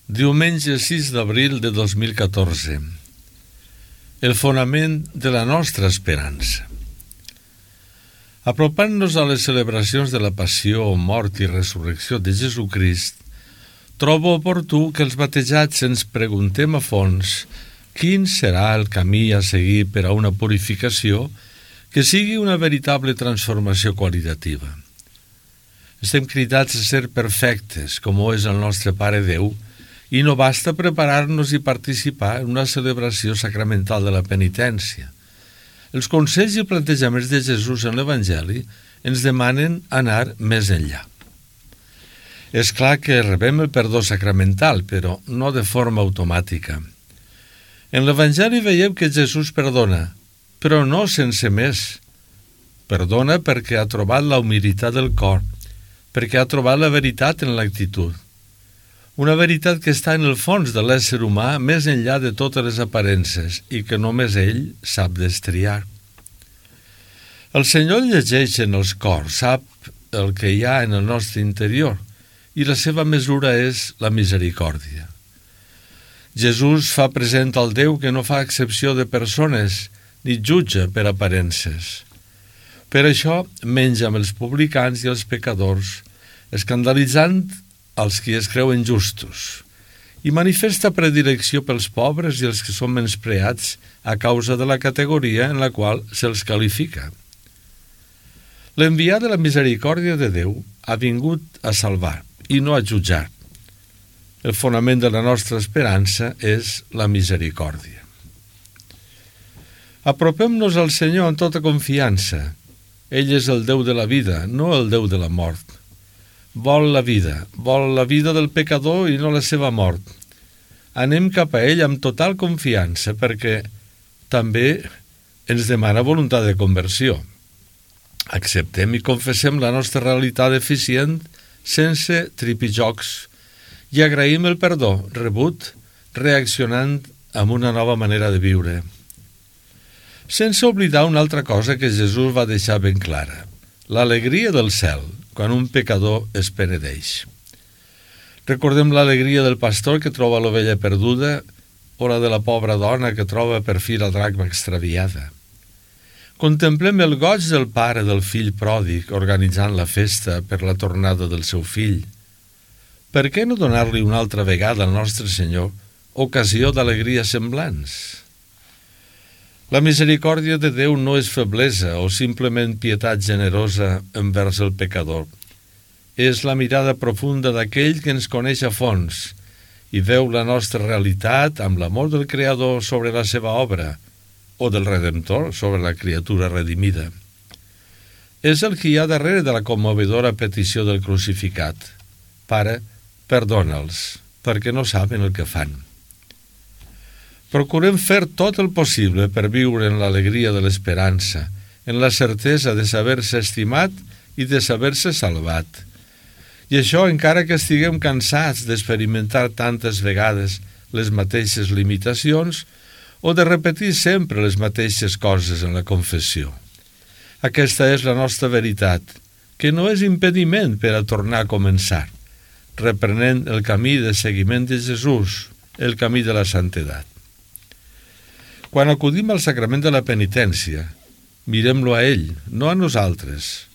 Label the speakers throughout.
Speaker 1: Diumenge 6 d'abril de 2014. El fonament de la nostra esperança. Apropant-nos a les celebracions de la passió, mort i resurrecció de Jesucrist, trobo oportú que els batejats ens preguntem a fons quin serà el camí a seguir per a una purificació que sigui una veritable transformació qualitativa. Estem cridats a ser perfectes, com ho és el nostre Pare Déu, i no basta preparar-nos i participar en una celebració sacramental de la penitència. Els consells i plantejaments de Jesús en l'Evangeli ens demanen anar més enllà. És clar que rebem el perdó sacramental, però no de forma automàtica. En l'Evangeli veiem que Jesús perdona, però no sense més. Perdona perquè ha trobat la humilitat del cor, perquè ha trobat la veritat en l'actitud. Una veritat que està en el fons de l'ésser humà més enllà de totes les aparences i que només ell sap destriar. El Senyor llegeix en els cors, sap el que hi ha en el nostre interior i la seva mesura és la misericòrdia. Jesús fa present al Déu que no fa excepció de persones ni jutja per aparences. Per això menja amb els publicans i els pecadors, escandalitzant als qui es creuen justos, i manifesta predilecció pels pobres i els que són menyspreats a causa de la categoria en la qual se'ls qualifica. L'enviat de la misericòrdia de Déu ha vingut a salvar i no a jutjar. El fonament de la nostra esperança és la misericòrdia. Apropem-nos al Senyor amb tota confiança. Ell és el Déu de la vida, no el Déu de la mort. Vol la vida del pecador i no la seva mort. Anem cap a ell amb total confiança perquè també ens demana voluntat de conversió. Acceptem i confessem la nostra realitat deficient sense tripijocs i agraïm el perdó rebut reaccionant amb una nova manera de viure. Sense oblidar una altra cosa que Jesús va deixar ben clara, l'alegria del cel, quan un pecador es penedeix. Recordem l'alegria del pastor que troba l'ovella perduda o la de la pobra dona que troba per fi la dracma extraviada. Contemplem el goig del pare del fill pròdig organitzant la festa per la tornada del seu fill. Per què no donar-li una altra vegada al nostre Senyor ocasió d'alegries semblants? La misericòrdia de Déu no és feblesa o simplement pietat generosa envers el pecador. És la mirada profunda d'aquell que ens coneix a fons i veu la nostra realitat amb l'amor del Creador sobre la seva obra o del Redemptor sobre la criatura redimida. És el que hi ha darrere de la commovedora petició del crucificat. Pare, perdona'ls, perquè no saben el que fan. Procurem fer tot el possible per viure en l'alegria de l'esperança, en la certesa de saber-se estimat i de saber-se salvat. I això encara que estiguem cansats d'experimentar tantes vegades les mateixes limitacions o de repetir sempre les mateixes coses en la confessió. Aquesta és la nostra veritat, que no és impediment per a tornar a començar, reprenent el camí de seguiment de Jesús, el camí de la santedat. Quan acudim al sacrament de la penitència, mirem-lo a ell, no a nosaltres,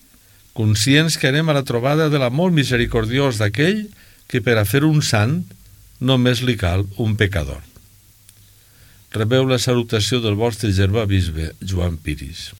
Speaker 1: conscients que anem a la trobada de l'amor misericordiós d'aquell que per a fer un sant només li cal un pecador. Rebeu la salutació del vostre germà bisbe Joan Piris.